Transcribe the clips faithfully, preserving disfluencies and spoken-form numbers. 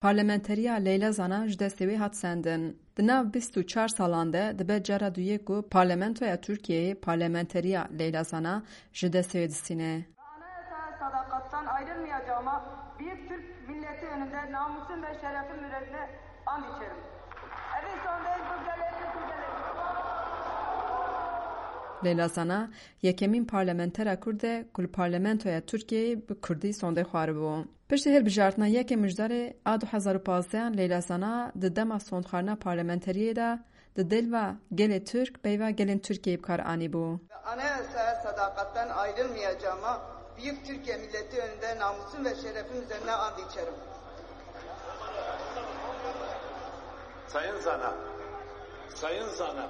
Parlamenteriya Leyla Zana ji destê wê hat sendin. Di nav bîst û çar salan de dibe cara duyê ku Parlamentoya Tirkiyeyê parlamenteriya Leyla Zana ji destê wê distîne. Anayasaya sadakattan ayrılmayacağıma büyük Türk milleti önünde namusum ve şerefim üzerine and içerim. Evi son değil bu gelin, bu gelin. Leyla Zana yekemîn parlamentera Kurd e ku li parlamentoya Tirkiyeyê bi Kurdî sondê xwaribû. Piştî hilbijartina yekê Mijdarê a du hezar û pazdeh an Leyla Zana di dema sondxwarina parlamenteriyê de di dêlva gelê Tirk peyva gelên Tirkiyeyê bi kar anîbû. Anayasaya sadakattan ayrılmayacağıma büyük Türkiye milleti önünde namusum ve şerefim üzerine and içerim. Sayın Zana, Sayın Zana.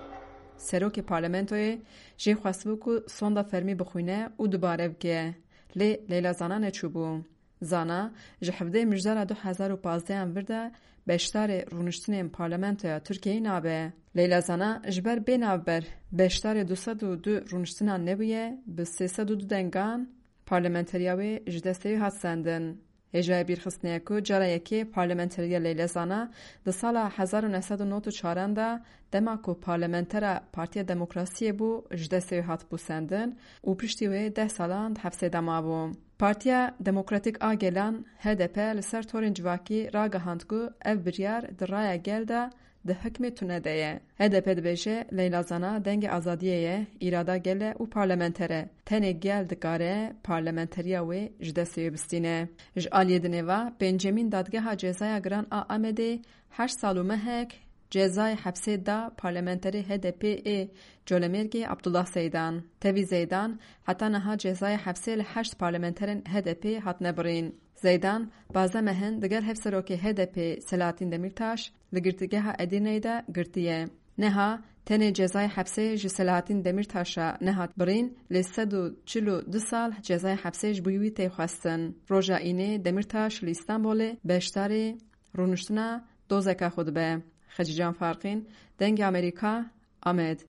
Serokê parlamentoyê jê xwestibû ku sonda fermî bixwîne û dubare bike. Lê Leyla Zana neçûbû. Zana ji hevdeh Mijdara du hezar û pazdeh an vir de beşdarê rûniştinên parlamentoya Tirkiyeyê nabe. Leyla Zana ji ber bê navber beşdarê du sed û du rûniştinan nebûye, bi sê sed û du dengan parlamenteriya wê ji destê wê hat sendin. Hêjayê bîrxistinê ye ku cara yekê parlamenteriya Leyla Zana di sala hezar û neh sed û nod û çar an de dema ku parlamentera Partiya Demokrasiyê bû ji destê wê hatibû sendin û piştî wê deh salan di hepsê de mabû. Partiya Demokratîk a Gelan, H D P, li ser torên civakî ragihand ku ev biryar di raya gel de di hikmê tune de ye. H D P dibêje Leyla Zana dengê azadiyê ye, îrada gel e û parlamenter e. Tenê gel dikare parlamenteriya wê ji destê wê bistîne. Ji aliyê dinê ve pêncemîn Dadgeha Cezaya Giran a Amedê heşt sal û mehek cezayê hepsê da parlamenterê H D P ê Colemêrgê Abdullah Zeydan. Tevî Zeydan heta niha cezayê hepsê li heşt parlamenterên H D P hatine birîn. Zeydan, pazdeh mehin digel hevserokê H D P Selahattin Demirtaş li girtîgeha Edirneyê de girtiye. Niha tenê cezayê hepsê ji Selahattin Demirtaş re nehat birîn, lê sed û çil û du sal cezayê hepsê ji bo wî tê xwestin. Roja Înê Demirtaş li Îstanbulê beşdarê rûniştina dozeka xwe dibe. Xecîcan Farqîn, Dengê Amerîka, Amed.